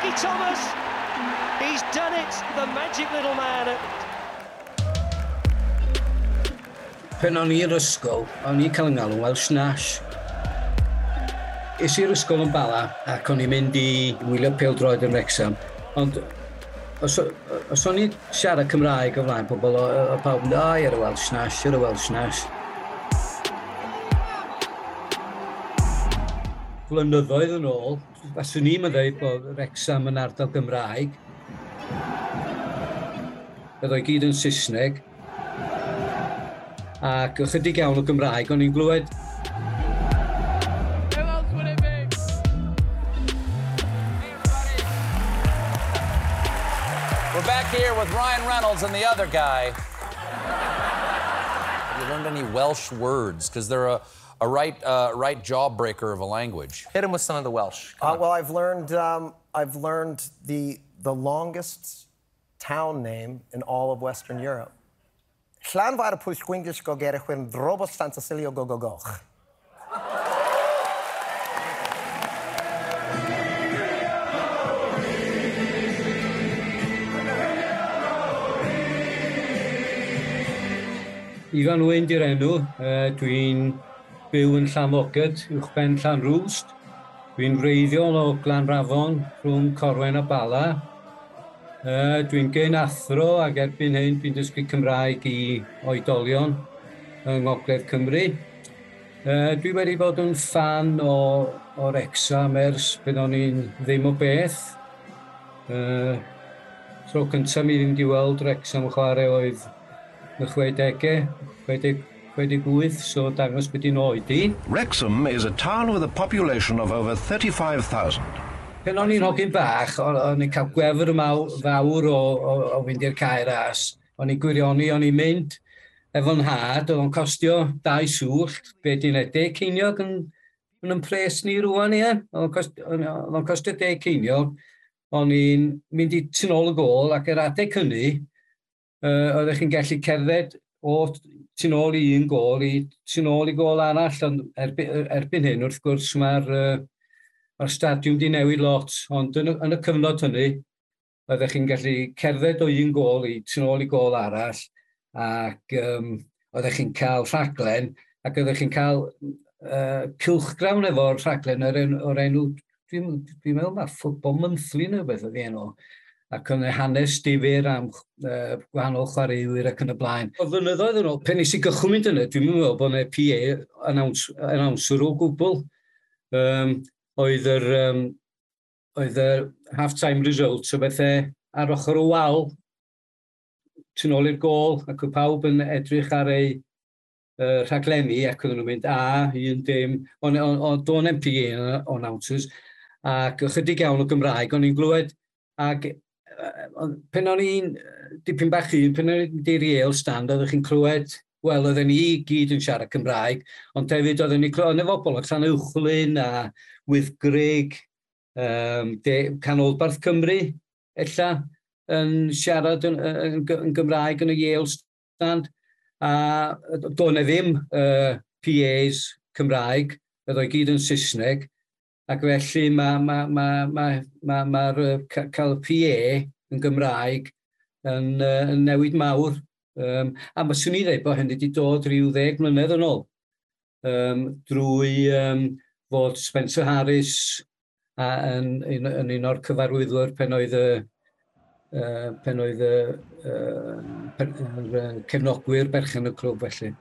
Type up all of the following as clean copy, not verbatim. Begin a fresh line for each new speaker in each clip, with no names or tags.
Ricky Thomas! He's done it, the magic little man.
Pen o'n i'r ysgol, o'n i'n cael yng ngalw Welsh Nash. Es i'r ysgol yn Bala ac o'n i'n mynd i wylio pêl-droed yn Wrexham. Ond os o'n i'n siarad Cymraeg o flaen pobl, o pawb yn dweud, oh, you're a Welsh Nash, you're a Welsh Nash. Blynyddoedd yn ôl, faswn i'n dweud bod Wrexham yn ardal Gymraeg. Oedd o'i gyd yn Saesneg. Ac ychydig iawn o Gymraeg, o'n i'n glywed.
Who else would it be? Hey, everybody.
We're back here with Ryan Reynolds and the other guy. Have you learned any Welsh words? Because they're a right jawbreaker of a language.
Hit him with some of the Welsh.
Well, I've learned the longest town name in all of Western Europe. Llanfair pwys gwyngus gogerich wyn drobos Santasilio gogogoch.
Ifan Wyn di'r enw. Dwi'n byw yn Llanfoged, uwchben Llanrwst. Dwi'n wreiddiol o Glanrafon, rhwng Corwen a Bala. Dwi'n gyn athro ac erbyn hyn dwi'n dysgu Cymraeg i oedolion yng Ngogledd Cymru. Dwi wedi bod yn ffan o Wrexham ers pan o'n i'n ddim o beth. Tro cyntaf mi ddim wedi weld Wrexham chwarae oedd y 60au, 68, so dangos beth i'n oed i.
Wrexham is a town with a population of over 35,000.
Pen o'n i'n hogyn bach, o'n i'n cael gwefr fawr o fynd i'r Cae Ras. O'n i'n gwirioni, o'n i'n mynd efo'n nhad, oedd o'n costio 2 swllt, be di'n 10 ceiniog yn pres ni rwan, ie. Oedd o'n costio 10 ceiniog. O'n i'n mynd i tu nôl y gôl, ac yr adeg hynny, oeddech chi'n gallu cerdded o tu nôl i un gôl i tu nôl i gôl arall, ond erbyn hyn, wrth gwrs, mae'r stadiwm di newid lot, ond yn y cyfnod hynny, oeddech chi'n gallu cerdded o un gôl i tu nôl i gôl arall, ac oeddech chi'n cael rhaglen, ac oeddech chi'n cael cylchgrawn efo'r rhaglen o'r enw, dwi'n meddwl mae Football Monthly neu beth oedd ei enw, ac yn hanes difyr am gwahanol chwaraewyr ac yn y blaen. O flynyddoedd yn ôl, pen nes i gychwyn mynd yna, dwi'n meddwl bod yna PA announcer o gwbl. Oedd yr half-time results o bethau ar ochr y wal, tu nôl i'r gôl, ac oedd pawb yn edrych ar ei rhaglenni, ac oedden nhw'n mynd a, 1-0, ond do'n MPA announcers, ac ychydig iawn o Gymraeg, o'n i'n glywed, ac pen o'n i'n dipyn bach un, pen o'n i'n mynd i'r Yale stand, oeddech chi'n clywed, wel, oedden ni gyd yn siarad Cymraeg, ond hefyd oedden ni'n clywed, efo bobl o Llanuwchllyn a Wyddgrug, Canolbarth Cymru, ella, yn siarad yn Gymraeg yn y Yale stand, a doedd 'na ddim PAs Cymraeg, oedd o'i gyd yn Saesneg, ac felly mae'r cael PA yn Gymraeg yn newid mawr. A mae swn i ddweud bod hynny wedi dod rhyw 10 mlynedd yn ôl, drwy fod Spencer Harris yn un o'r cyfarwyddwyr pen oedd y cefnogwyr berchen y clwb felly.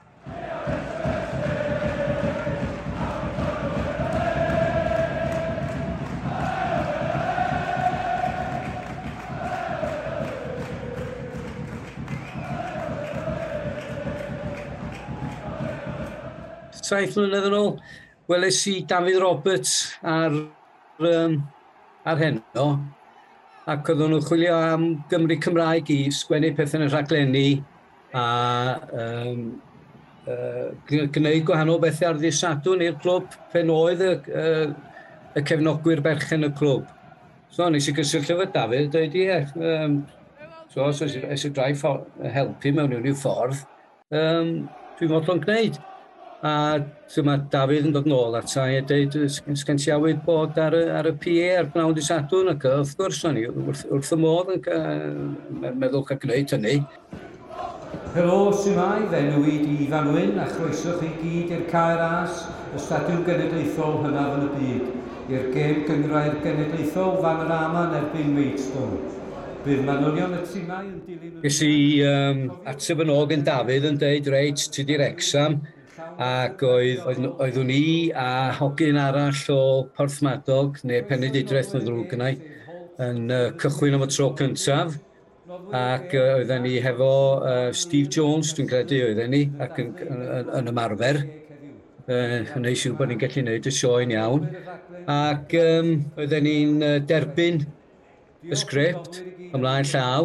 Saith mlynedd yn ôl, weles i Dafydd Roberts ar Heno, ac oedden nhw'n chwilio am Gymru Cymraeg i sgwennu pethau yn y rhaglenni a gwneud gwahanol bethau ar ddydd Sadwrn i'r clwb pen oedd y cefnogwyr berchen y clwb. So nes i gysylltu efo Dafydd, dweud ie, so os oes y drai helpu mewn unrhyw ffordd, dwi'n fodlon gwneud. A dyma Dafydd yn dod nôl ata i a dweud, sgen ti awydd bod ar y PA ar bnawn dy Sadwrn? Ac wrth gwrs, o'n i wrth y modd yn meddwl cael gwneud hynny. Helo, su'mai, fy enw i di Ifan Wyn a chroeso chi gyd i'r Cae Ras, y stadiwm genedlaethol hynaf yn y byd, i'r gêm gynghrair genedlaethol Vanarama yn erbyn Maidstone. Bydd manylion y timau yn dilyn... Ges i ateb yn ôl gen Dafydd yn deud, reit, ti di Wrecsam, ac oedd, oedd, oeddwn i a hogyn arall o Porthmadog, neu Penrhyndeudraeth yn ddrwg gynna i, yn cychwyn am y tro cyntaf. Ac oedden ni hefo Steve Jones, dwi'n credu oedden ni, ac yn ymarfer. Yn neud siŵr bod ni'n gallu gwneud y sioe'n iawn. Ac oedden ni'n derbyn y sgript ymlaen llaw.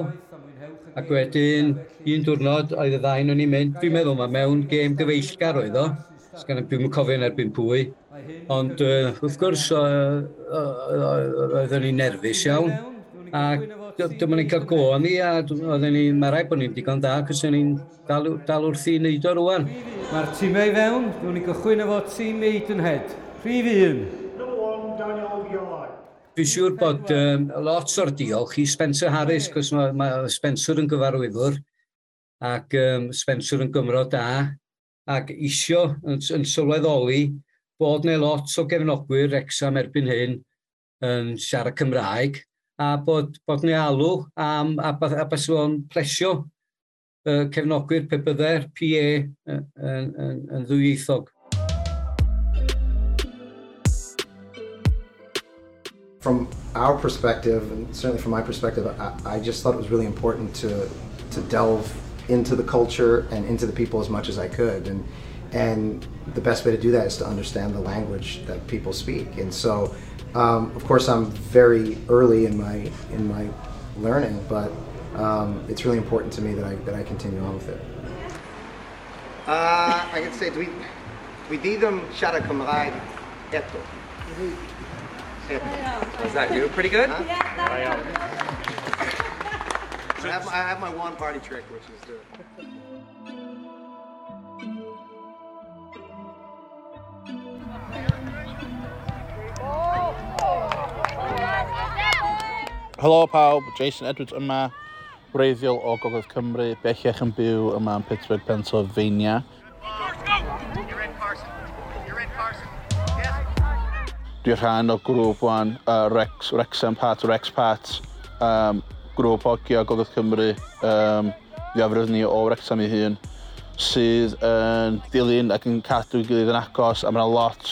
Ac wedyn, un diwrnod oedd y ddau nhw'n ni'n mynd, dwi'n meddwl mae mewn gêm gyfeillgar oedd o. Dwi'm yn cofio yn erbyn pwy. Ond wrth gwrs, oedden ni'n nerfus iawn. A dyma ni'n cael go ni, a oedden ni, mae rhaid bod ni'n digon da, cos ni'n dal wrth i wneud o rwan. Mae'r tîmau i fewn, dwi'n ni gychwyn efo tîm Maidenhead. Rhif 1. Number 1, Daniel Ioi. Dwi'n siŵr bod lot o'r diolch i Spencer Harris, cos mae Spencer yn gyfarwyddwr, ac Spencer yn Gymro da, ac isio yn sylweddoli bod 'na lot o gefnogwyr Wrecsam erbyn hyn yn siarad Cymraeg, a bod 'na alw am, a bys o'n plesio cefnogwyr pe bydde'r PA yn ddwyieithog.
From our perspective, and certainly from my perspective, I just thought it was really important to delve into the culture and into the people as much as I could. And the best way to do that is to understand the language that people speak. And so, of course, I'm very early in my learning, but it's really important to me that I continue on with it. I can say, dwi di ddim siarad Cymraeg eto.
Was that you? Pretty good?
Huh? Yeah. I have my one party trick, which is to.
Helo pawb, Jason Edwards yma, wreiddiol o Gogledd Cymru, bellach yn byw yma yn Pittsburgh, Pennsylvania.
You're in, Carson. You're in, Carson. Yes.
Dwi'n rhan o grŵp wan, Rex, Wrexham Pat, Rex Pat, grŵp hogia Gogledd Cymru, fwyafrif ni o Wrexham ei hun, sydd yn dilyn ac yn cadw i gilydd yn agos, a mae yna lot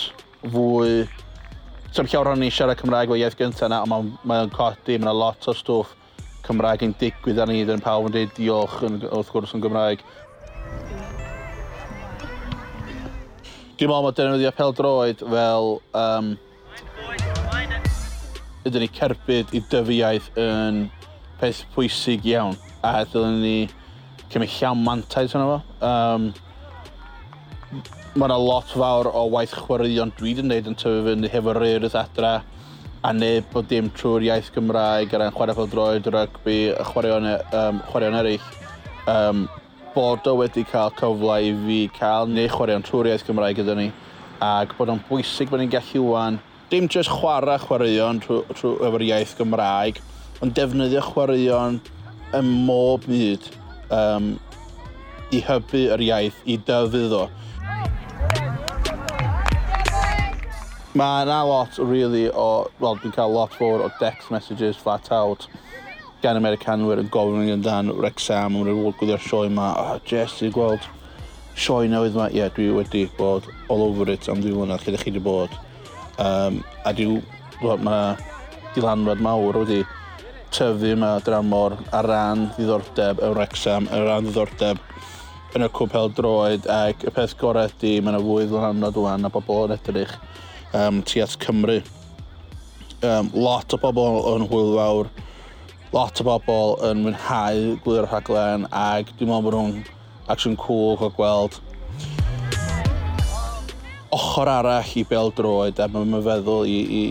fwy. Sa'm llawer ohonyn ni siarad Cymraeg fel iaith gyntaf na, ond mae'n mae codi, mae yna lot o stwff Cymraeg yn digwydd ar ni, dyn pawb yn dweud diolch yn, wrth gwrs yn Gymraeg. Dwi'n meddwl mae defnyddio pêl-droed fel ydyn ni cerbyd i dyfu iaith yn peth pwysig iawn a dylwn ni cymryd llawn mantais yna fo. Mae yna lot fawr o waith chwaraeon dwi wedi gwneud yn tyfu fyny hefo'r Urdd adra a neb bod dim trwy'r iaith Gymraeg ar ran chwarae pêl-droed, rygbi, a chwaraeon eraill. Bod o wedi cael cyfle i fi cael neu chwaraeon trwy'r iaith Gymraeg gyda ni ac bod o'n bwysig bod ni'n gallu wan dim jyst chwarae chwaraeon trwy efo'r iaith Gymraeg, ond defnyddio chwaraeon ym mob byd i hybu yr iaith, i dyfu ddo. Mae yna lot, really, o... Wel, dwi'n cael lot fawr o text messages flat out gan Americanwyr yn gofyn amdan Wrexham, yn nhw'n gwylio'r sioe yma. "Oh, Jess, ti'n gweld sioe newydd yma?" Ie, yeah, dwi wedi bod all over it am 2 mlynedd lle ydych chi wedi bod. A dwi, wel, mae dylanwad mawr wedi tyfu yma dramor ar ran ddiddordeb y Wrexham, ar ran ddiddordeb yn y clwb pêl-droed, ac y peth gorau ydy mae yna fwy ddylanwad wan a bobl yn edrych tu at Cymru. Lot o bobl yn hwyl fawr, lot o bobl yn mwynhau gwylio'r rhaglen ac dwi'n meddwl bod nhw'n actually'n cool o gweld ochr arall i bêl-droed a mae'n feddwl i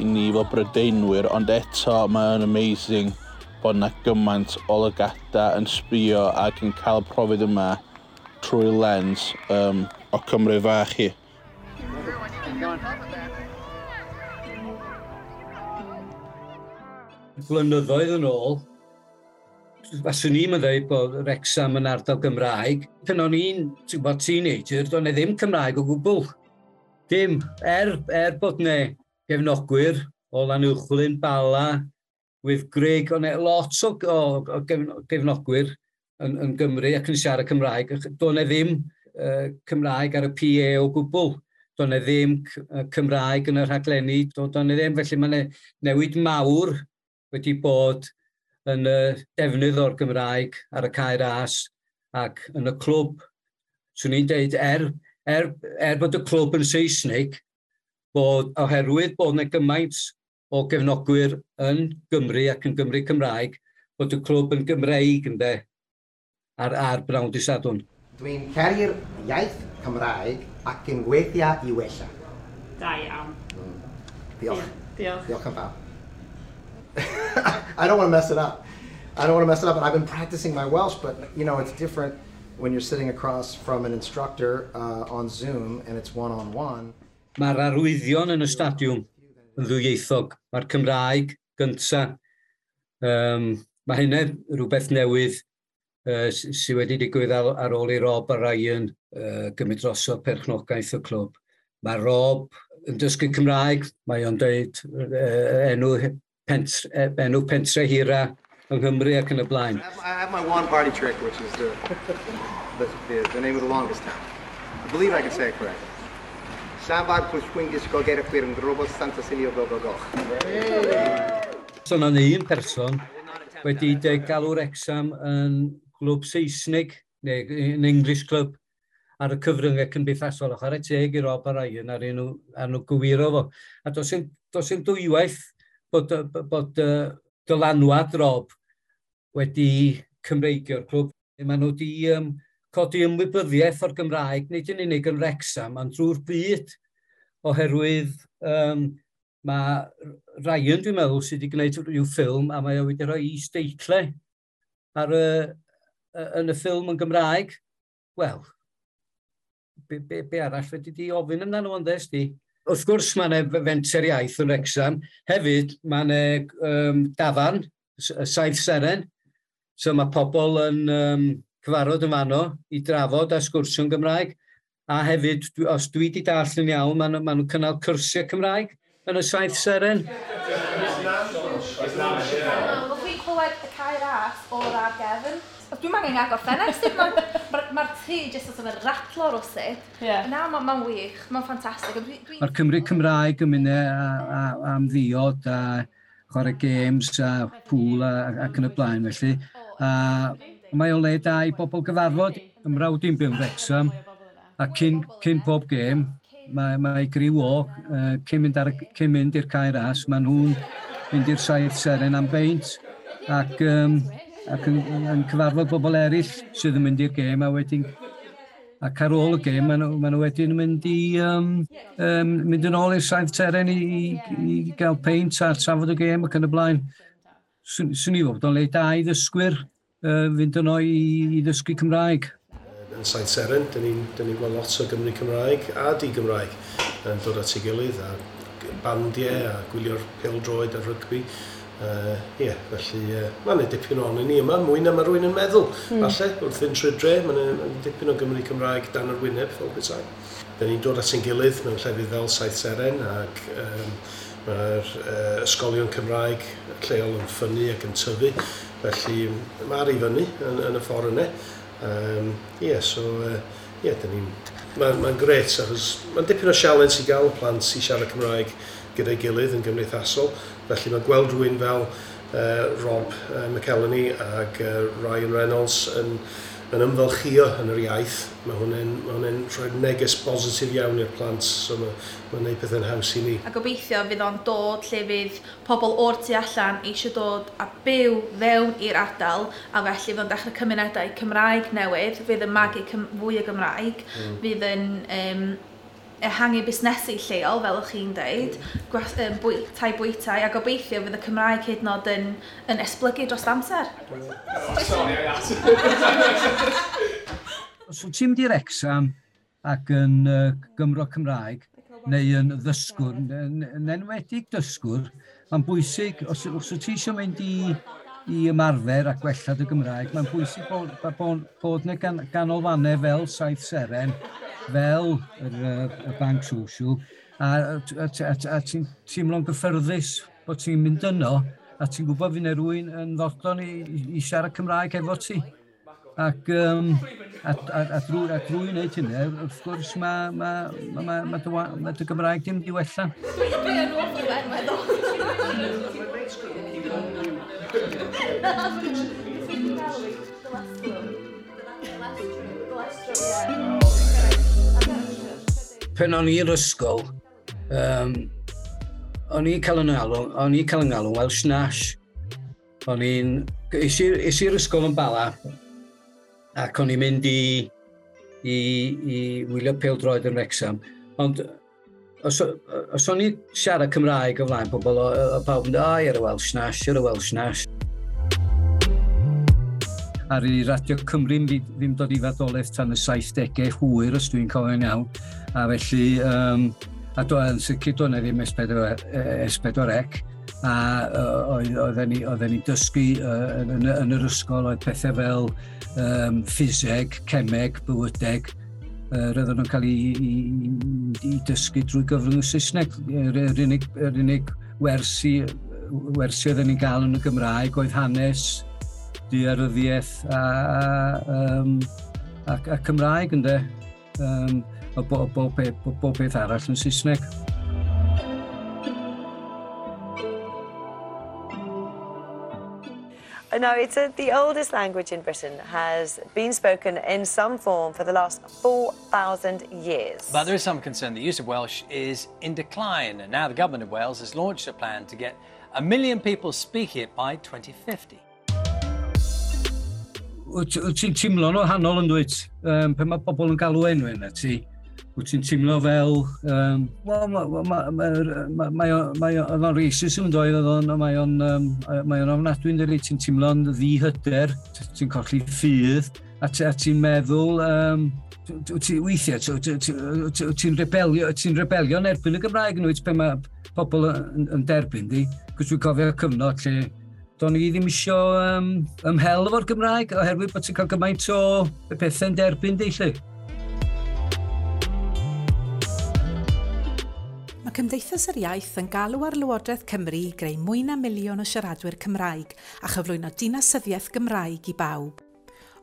ni fel Brydeinwyr, ond eto mae'n amazing bod yna gymaint o lygada yn sbio ac yn cael y profiad yma trwy lens o Cymru fach hi.
Blynyddoedd yn ôl, faswn i'n dweud bod Wrexham yn ardal Gymraeg. Pan o'n i'n, ti'n gwybod, teenager, do'n i ddim Cymraeg o gwbl. Dim, er bod 'ne gefnogwyr o Lanuwchllyn, Bala, Wyddgrug, o'n e lot o gefnogwyr yn Gymru ac yn siarad Cymraeg. Do'n e ddim Cymraeg ar y PA o gwbl. Do'n e ddim Cymraeg yn y rhaglenni. Do'n e ddim, felly mae'n newid mawr wedi bod yn y defnydd o'r Gymraeg ar y Cae Ras ac yn y clwb. Swn i'n deud, er bod y clwb yn Saesneg, bod oherwydd bod yna gymaint o gefnogwyr yn Gymru ac yn Gymru Cymraeg, bod y clwb yn Gymreig, ynde, ar bnawn dydd Sadwrn.
Dwi'n caru'r iaith Cymraeg ac yn gweithio i wella.
Da iawn.
Diolch.
Diolch.
Diolch yn fawr. I don't want to mess it up. I don't want to mess it up, and I've been practicing my Welsh, but it's different when you're sitting across from an instructor on Zoom and it's one-on-one.
Mae'r arwyddion yn y stadiwm yn ddwyieithog. Mae'r Cymraeg gynta. Mae hynny rhywbeth newydd sydd wedi digwydd ar ôl i Rob a Ryan gymryd drosodd perchnogaeth y clwb. Mae Rob yn dysgu Cymraeg, mae o'n dweud enw pentre hira yng Nghymru ac yn y blaen.
I have my one party trick, which is the name of the longest town. I believe I can say it correctly. Llanfair Pwllgwyngyll Gogerychwyrndrobwllt Santa Silio Go Go Goch.
So yna un person wedi dweud galw Wrexham yn glwb Saesnig, neu yn English club, ar y cyfryngau cymdeithasol. A chwarae teg i Rob a Ryan ar nhw gywiro fo. A does dim dwywaith bod dylanwad Rob wedi Cymreigio'r clwb. Maen nhw wedi codi ymwybyddiaeth o'r Gymraeg, nid yn unig yn Wrexham, ond drwy'r byd, oherwydd mae Ryan, dwi'n meddwl, sydd wedi gwneud rhyw ffilm, a mae o wedi rhoi is-deitlau yn y ffilm yn Gymraeg. Wel, be arall wedi di ofyn amdano fo'n ddes di? Wrth gwrs, mae yna fenter iaith yn Wrexham. Hefyd, mae yna dafarn, y Saith Seren. So mae pobl yn cyfarfod yn fanno i drafod a sgwrsio'n Gymraeg. A hefyd, os dwi wedi dallt yn iawn, ma nhw'n cynnal cyrsiau Cymraeg yn y Saith Seren.
Wel, dwi'n clywed y Cae Ras o'r ar gefn. Dwi'n angen agor ffenest, ma tŷ jyst sort of yn ratlo rwsut. Na, mae'n ma wych, mae'n ffantastig.
Mae'r Cymru Cymraeg yn mynd am ddiod a chwarae games a pŵl ac yn y blaen felly. A mae o le da i bobl gyfarfod. 'Y mrawd i'n byw yn Wrexham a cyn pob gêm mae griw o cyn mynd i'r Cae Ras, maen nhw'n mynd i'r Saith Seren am beint ac yn cyfarfod bobl eraill sydd yn mynd i'r gêm a wedyn ac ar ôl y gêm maen nhw wedyn yn mynd yn ôl i'r Saith Seren i gael peint a trafod y gêm ac yn y blaen. Swn i fod o'n le da i ddysgwyr fynd yno i ddysgu Cymraeg.
Yn Saith Seren, dyn ni'n ni gweld lot o Gymru Cymraeg a di-Gymraeg yn dod at ei gilydd a bandiau a gwylio'r pêl-droed a rygbi. Ie, felly mae'n dipyn o'n ni yma, mwy na mae rhywun yn meddwl. Falle, wrth fynd trwy'r dre, mae'n ma dipyn o Gymru Cymraeg dan yr wyneb, fel petai. Dyn ni'n dod at ein gilydd mewn llefydd fel Saith Seren ac mae'r ysgolion Cymraeg lleol yn ffynnu ac yn tyfu. Felly mae'r i fyny yn y ffordd yna. Ie, so ie, dyn ni'n... Mae'n ma grêt, achos mae'n dipyn o sialens i gael plant i siarad Cymraeg gyda'i gilydd yn gymdeithasol. Felly mae gweld rhywun fel Rob McElhenney ac Ryan Reynolds yn ymfalchio yn yr iaith, mae hwnna'n rhoi neges bositif iawn i'r plant, so mae gwneud pethau'n haws i ni.
A gobeithio fydd o'n dod lle fydd pobl o'r tu allan eisiau dod a byw fewn i'r ardal, a felly fydd o'n dechrau cymunedau Cymraeg newydd, fydd yn magu fwy o Gymraeg, fydd yn ehangu busnesu lleol, fel o'ch chi'n deud, tai bwytai, a gobeithio fydd y Cymraeg hyd yn oed yn esblygu dros amser.
Os wyt ti'n mynd i Wrexham ac yn Gymro Cymraeg, neu yn ddysgwr, yn enwedig dysgwr, Mae'n bwysig, os wyt ti eisiau mynd i ymarfer a gwella dy Gymraeg, mae'n bwysig bod yna ganolfannau fel Saith Seren, fel y Bank Social, a ti'n teimlo'n gyffyrddus bod ti'n mynd yno, a ti'n gwybod fydd yna rhywun yn fodlon i siarad Cymraeg efo ti. Ac drwy wneud hynny, wrth gwrs, mae dy Gymraeg dim di wella.
Dwi yn awful ben, meddwl.
Pen o'n i'r ysgol, o'n i'n cael yn galw Welsh Nash. O'n i'n... Es i'r ysgol yn Bala, ac o'n i'n mynd i wylio pêl-droed yn Wrexham. Ond os o'n i'n siarad Cymraeg o flaen pobl, o pawb yn dweud, o, you're a Welsh Nash, you're a Welsh Nash. Ar i Radio Cymru ddim dod i fadolaeth tan y 70au hwyr, os dwi'n cofio'n iawn. A felly, a yn sicr doedd 'na ddim S4C, a oedden ni'n dysgu yn yr ysgol, oedd pethau fel ffiseg, cemeg, bywydeg, roedden nhw'n cael ei dysgu drwy gyfrwng y Saesneg. Yr unig wersi oedden ni'n gael yn y Gymraeg oedd hanes, daearyddiaeth a Cymraeg, ynde. A bob peth arall yn Saesneg.
Now, it's the oldest language in Britain, has been spoken in some form for the last 4,000 years.
But there is some concern the use of Welsh is in decline, and now the government of Wales has launched a plan to get 1 million people speaking it by 2050.
Wyt ti'n teimlo'n wahanol yn dwyt? Pan mae pobl yn galw enw yna ti, wyt ti'n teimlo fel, mae o'n racism yn dweud, mae o'n ofnadwy yn dweud, ti'n teimlo'n ddihyder, ti'n colli ffydd, a ti'n meddwl, weithiau, ti'n rebelio yn erbyn y Gymraeg yn dweud, pan mae pobl yn derbyn di, cos dwi'n cofio cyfnod lle do'n i ddim isio ymhel efo'r Gymraeg, oherwydd bod ti'n cael gymaint o pethau'n derbyn di, lle.
Mae Cymdeithas yr Iaith yn galw ar Lywodraeth Cymru i greu mwy na miliwn o siaradwyr Cymraeg a chyflwyno dinasyddiaeth Gymraeg i bawb.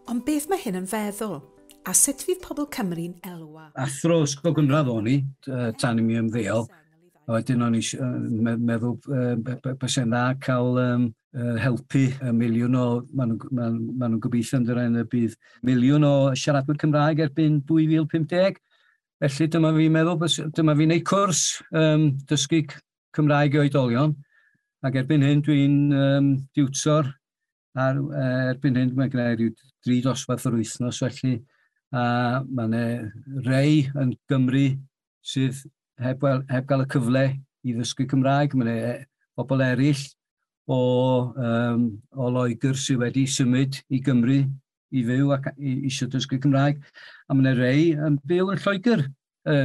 Ond beth mae hyn yn feddwl? A sut fydd pobl Cymru'n elwa?
Athro ysgol gynradd o'n i, tan i mi ymddeol. A wedyn o'n i'n meddwl byse'n dda cael helpu y miliwn o, maen nhw'n gobeithio yn dyrraedd y bydd miliwn o siaradwyr Cymraeg erbyn 2050. Felly dyma fi'n meddwl, dyma fi'n neud cwrs dysgu Cymraeg i oedolion. Ac erbyn hyn dwi'n diwtor, a erbyn hyn mae'n gwneud rhyw 3 dosbarth yr wythnos felly. A mae yna rei yn Gymru sydd heb gael y cyfle i ddysgu Cymraeg. Mae yna bobl eraill o Loegr sydd wedi symud i Gymru i fyw ac eisiau dysgu Cymraeg. A mae yna rei yn byw yn Lloegr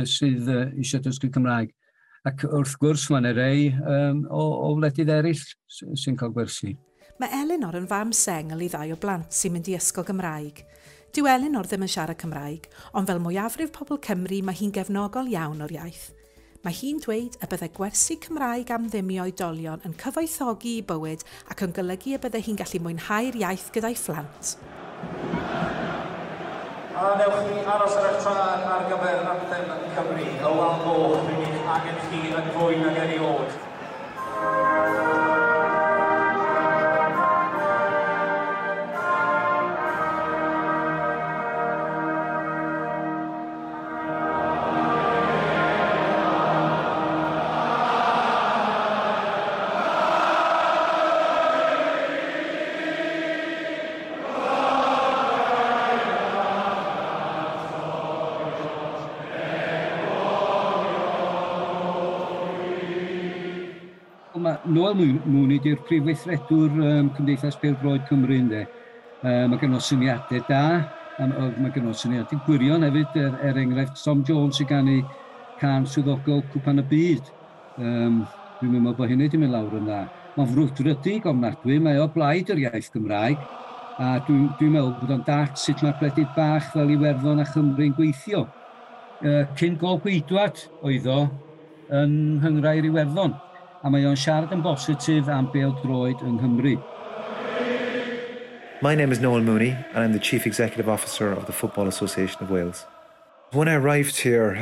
sydd eisiau dysgu Cymraeg. Ac wrth gwrs mae yna rei o wledydd eraill sy'n cael gwersi.
Mae Elinor yn fam sengl i ddau o blant sy'n mynd i ysgol Gymraeg. Dyw Elinor ddim yn siarad Cymraeg, ond fel mwyafrif pobl Cymru mae hi'n gefnogol iawn o'r iaith. Mae hi'n dweud y byddai gwersi Cymraeg am ddim i oedolion yn cyfoethogi i bywyd ac yn golygu y byddai hi'n gallu mwynhau'r iaith gyda'i phlant.
A newch chi aros ar eich traed ar gyfer anthem Cymru, y Wal Goch, rydyn ni'n angen chi yn fwy nag erioed.
Noel Mooney di'r prif weithredwr Cymdeithas Pêl-droed Cymru, ynde. Mae gen o syniadau da, mae gen o syniadau gwirion hefyd, er enghraifft Tom Jones sy'n ganu cân swyddogol Cwpan y Byd. Dwi'n meddwl bod hynny wedi mynd lawr yn dda. Mae'n frwdfrydig ofnadwy, mae o blaid yr iaith Gymraeg, a dwi'n dwi meddwl bod o'n dallt sut mae gwledydd bach fel Iwerddon a Chymru'n gweithio. Cyn gol gweidwad oedd o yn nghynghrair Iwerddon, a mae o'n siarad yn bositif am bêl-droed yng Nghymru.
My name is Noel Mooney, and I'm the Chief Executive Officer of the Football Association of Wales. When I arrived here,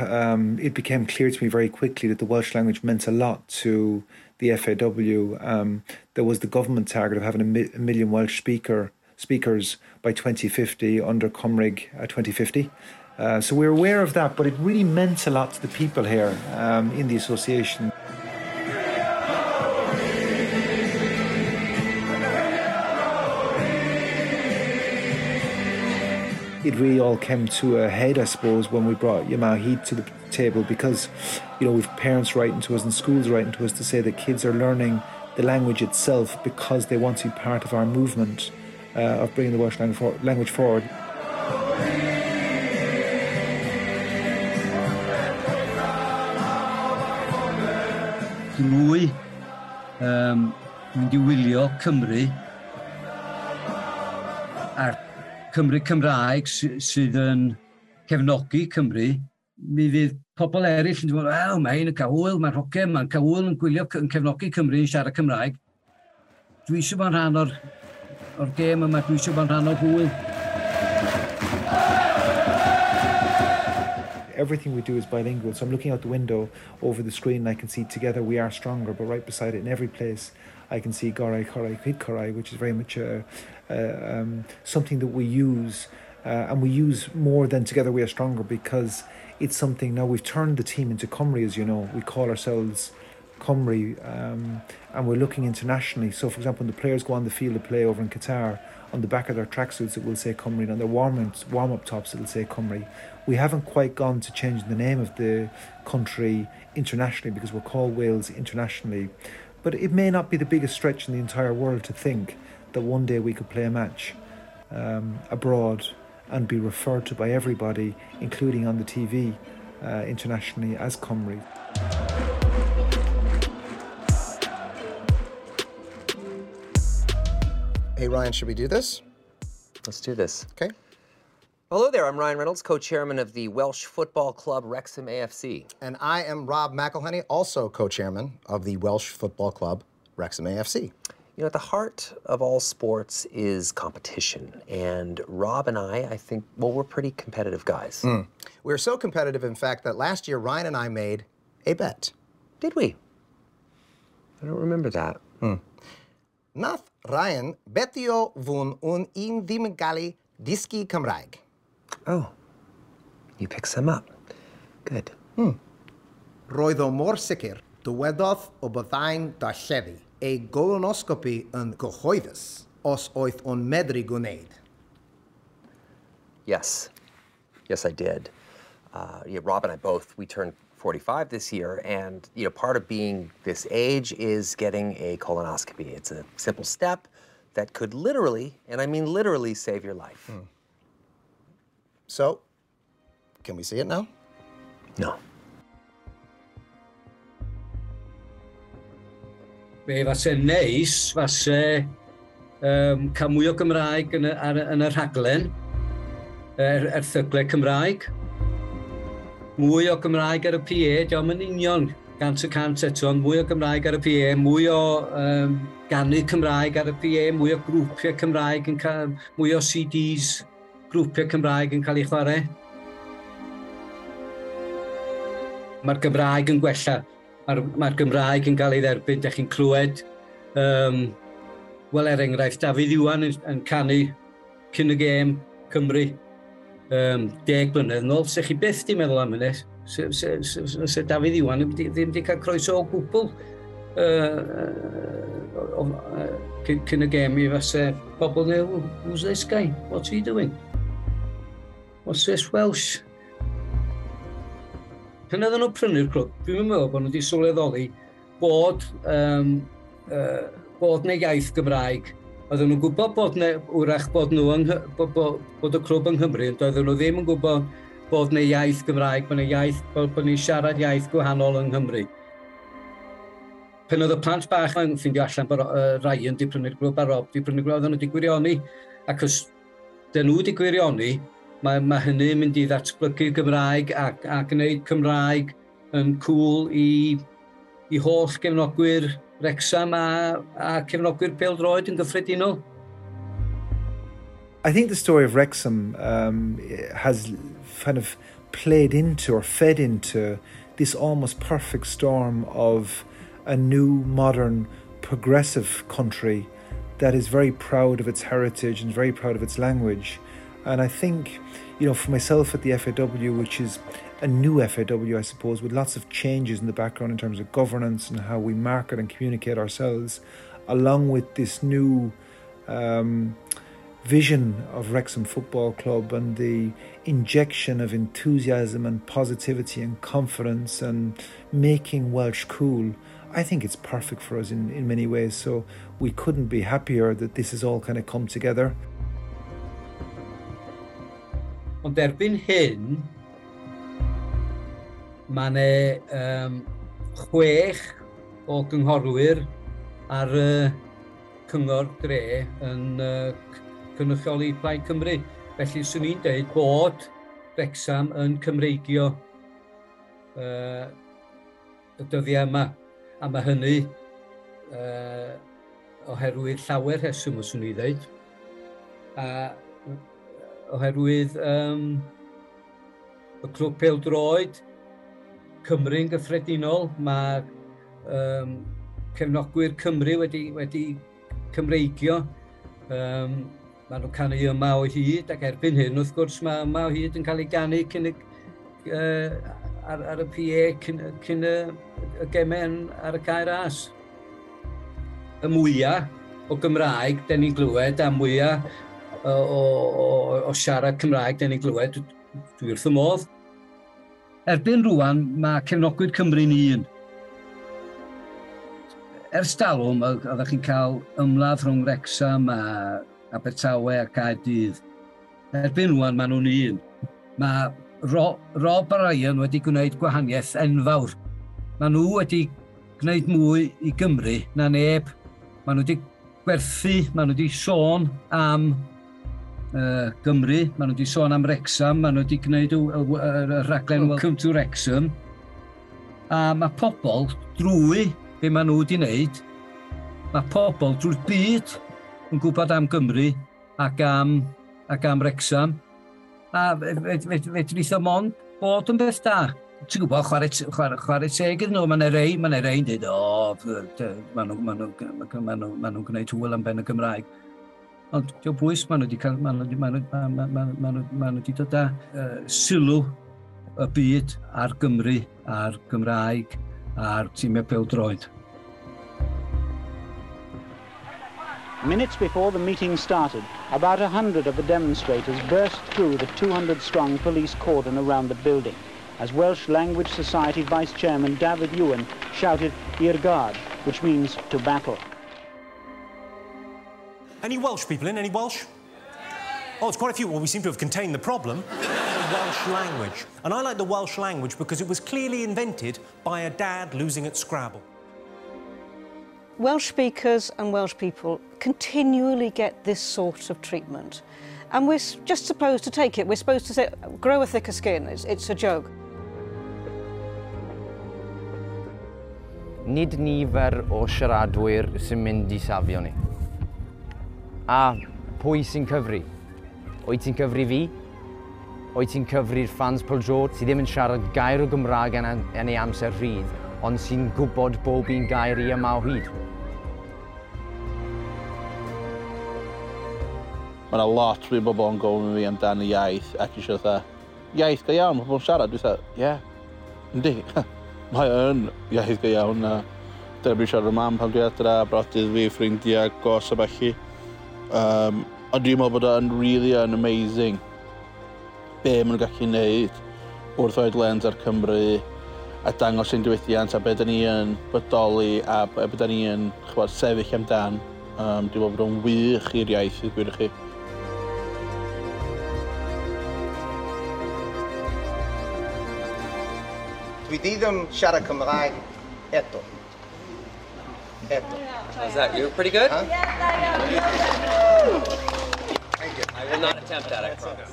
it became clear to me very quickly that the Welsh language meant a lot to the FAW. There was the government target of having a million Welsh speakers by 2050 under Cymraeg 2050. So we were aware of that, but it really meant a lot to the people here in the association. It really all came to a head, I suppose, when we brought Yma o Hyd to the table, because, we've parents writing to us and schools writing to us to say that kids are learning the language itself because they want to be part of our movement of bringing the Welsh language forward.
Drwy mynd i wylio Cymru a'r Cymru Cymraeg sydd yn cefnogi Cymru, mi fydd pobl eraill yn dweud, wel, mae hyn yn cael hwyl, mae'r hoge, mae'n cael hwyl yn gwylio, yn cefnogi Cymru yn siarad Cymraeg. Dwi eisiau bod yn rhan o'r gêm yma, dwi eisiau bod yn rhan o'r hwyl.
Everything we do is bilingual, so I'm looking out the window over the screen and I can see Together We Are Stronger, but right beside it in every place I can see Gorau, Chwarae, Cyd Chwarae, which is very much something that we use, and we use more than Together We Are Stronger because it's something now we've turned the team into Cymru, as you know. We call ourselves Cymru, and we're looking internationally. So, for example, when the players go on the field to play over in Qatar, on the back of their tracksuits it will say Cymru, and on their warm-up tops it will say Cymru. We haven't quite gone to change the name of the country internationally because we're called Wales internationally. But it may not be the biggest stretch in the entire world to think that one day we could play a match abroad and be referred to by everybody, including on the TV internationally, as Cymru.
Hey, Ryan, should we do this?
Let's do this.
Okay.
Hello there, I'm Ryan Reynolds, co-chairman of the Welsh Football Club Wrexham AFC.
And I am Rob McElhenney, also co-chairman of the Welsh Football Club Wrexham AFC.
At the heart of all sports is competition. And Rob and I think, well, we're pretty competitive guys.
We're so competitive, in fact, that last year Ryan and I made a bet.
Did we? I don't remember that.
Nath Ryan betio fwn un un ddim yn gallu dysgu Cymraeg.
Oh, you picked some up. Good.
Roedd o mor sicr, dywedodd o byddai'n darlledu ei golonoscopi yn gyhoeddus os oedd o'n medru gwneud.
Yes. Yes, I did. Yeah, Rob and I both, we turned 45 this year, and part of being this age is getting a colonoscopy. It's a simple step that could literally, and I mean literally, save your life.
So, can we see it now?
No.
Be fase neis, fase cael mwy o Gymraeg yn y rhaglen, erthyglau Cymraeg. Mwy o Gymraeg ar y PA, diolch yn union 100% eto, ond mwy o Gymraeg ar y PA, mwy o ganu Cymraeg ar y PA, mwy o grwpiau Cymraeg yn cael, mwy o CDs grwpiau Cymraeg yn cael ei chwarae. Mae'r Gymraeg yn gwella. Mae'r Gymraeg yn cael ei dderbyn, dych chi'n clywed. Wel, er enghraifft, Dafydd Iwan yn canu cyn y gêm Cymru 10 blynedd nôl. Se chi byth di meddwl am hynny. Se Dafydd Iwan ddim wedi cael croeso o gwbl cyn y gêm i fase pobl neu, who's this guy? What's he doing? What's this Welsh? Pan oedden nhw'n prynu'r clwb, dwi'n meddwl bod nhw wedi sylweddoli bod neu iaith Gymraeg. Oedden nhw'n gwybod bod ne, wrach bod nhw bod y clwb yng Nghymru, ond oedden nhw ddim yn gwybod bod neu iaith Gymraeg, bod ni'n siarad iaith gwahanol yng Nghymru. Pen oedd y plant bach yn ffeindio allan bod Ryan di prynu'r glwb a Rob di prynu'r glwb, oedden nhw di gwirioni. Ac os dyn nhw di gwirioni, mae hynny'n mynd i ddatblygu Gymraeg a gwneud Cymraeg yn cool i holl gefnogwyr Wrexham a cefnogwyr pêl-droed yn gyffredinol.
I think the story of Wrexham has kind of played into or fed into this almost perfect storm of a new, modern, progressive country that is very proud of its heritage and very proud of its language. And I think, for myself at the FAW, which is a new FAW, I suppose, with lots of changes in the background in terms of governance and how we market and communicate ourselves, along with this new vision of Wrexham Football Club and the injection of enthusiasm and positivity and confidence and making Welsh cool, I think it's perfect for us in many ways. So we couldn't be happier that this has all kind of come together.
Ond erbyn hyn, mae yna 6 o gynghorwyr ar y cyngor dre yn cynrychioli Plaid Cymru. Felly, swn i'n deud bod Wrexham yn Cymreigio y dyddiau yma. A mae hynny oherwydd llawer rheswm, os swn i'n dweud. A oherwydd y clwb pêl-droed, Cymru'n gyffredinol, mae cefnogwyr Cymru wedi Cymreigio. Maen nhw'n canu Yma o Hyd, ac erbyn hyn, wrth gwrs, mae Yma o Hyd yn cael ei ganu cyn ar y PA cyn y gemau ar y Cae Ras. Y mwyaf o Gymraeg den ni'n glywed, a mwyaf o siarad Cymraeg den ni'n glywed, dwi wrth y modd. Erbyn rwan, mae cefnogwyr Cymru'n un. Ers talwm, oeddech chi'n cael ymladd rhwng Wrexham a Abertawe a Caerdydd. Erbyn rwan, maen nhw'n un. Mae Rob a Ryan wedi gwneud gwahaniaeth enfawr. Maen nhw wedi gwneud mwy i Gymru na neb. Maen nhw wedi gwerthu, maen nhw wedi sôn am Gymru, maen nhw wedi sôn am Wrexham, maen nhw wedi gwneud y rhaglen Welcome to Wrexham. A mae pobl drwy be maen nhw wedi wneud, mae pobl drwy'r byd yn gwybod am Gymru ac am Wrexham. A fedrith o mond bod yn beth da. Ti'n gwybod, chwarae teg iddyn nhw, mae'n rei, ma rei'n dweud, o, ma nhw'n gwneud hwyl am ben y Gymraeg. Ond diolch bwys, maen nhw wedi cael, ma nhw wedi dod â sylw y byd ar Gymru, ar Gymraeg, a'r tîmau pêl-droed.
Minutes before the meeting started, about 100 of the demonstrators burst through the 200-strong police cordon around the building, as Welsh Language Society Vice Chairman David Ewan shouted "I'r gad," which means to battle.
Any Welsh people in? Any Welsh? Oh, it's quite a few. Well, we seem to have contained the problem. The Welsh language. And I like the Welsh language because it was clearly invented by a dad losing at Scrabble.
Welsh speakers and Welsh people continually get this sort of treatment. And we're just supposed to take it. We're supposed to say, grow a thicker skin, it's a joke.
Nid nifer o siaradwyr sy'n mynd i safio ni. A pwy sy'n cyfri? Wyt ti'n cyfri fi? Wyt ti'n cyfri'r fans pêl-droed sydd ddim yn siarad gair o Gymraeg yn ei amser rhydd, ond sy'n gwybod bob un gair i Yma o Hyd?
Mae yna lot o bobl yn gofyn fi amdan y iaith ac eisiau fatha, iaith go iawn, mae pobl yn siarad, dwi'n fatha, ie, yeah, yndi, mae yn iaith go iawn. A dyna dwi'n siarad efo mam pan dwi adra, brodyr fi, ffrindiau, gos a ballu. Ond dwi'n meddwl bod o'n really yn amazing be maen nhw'n gallu neud wrth roid lens ar Cymru a dangos ein diwylliant a be da ni yn bodoli a be da ni yn chwbod, sefyll amdan. Dwi'n meddwl bod o'n wych i'r iaith i gwir i chi.
Dwi di ddim siarad Cymraeg eto. Eto.
How's that? You're pretty good?
Huh?
Thank you. I will not attempt that, I promise.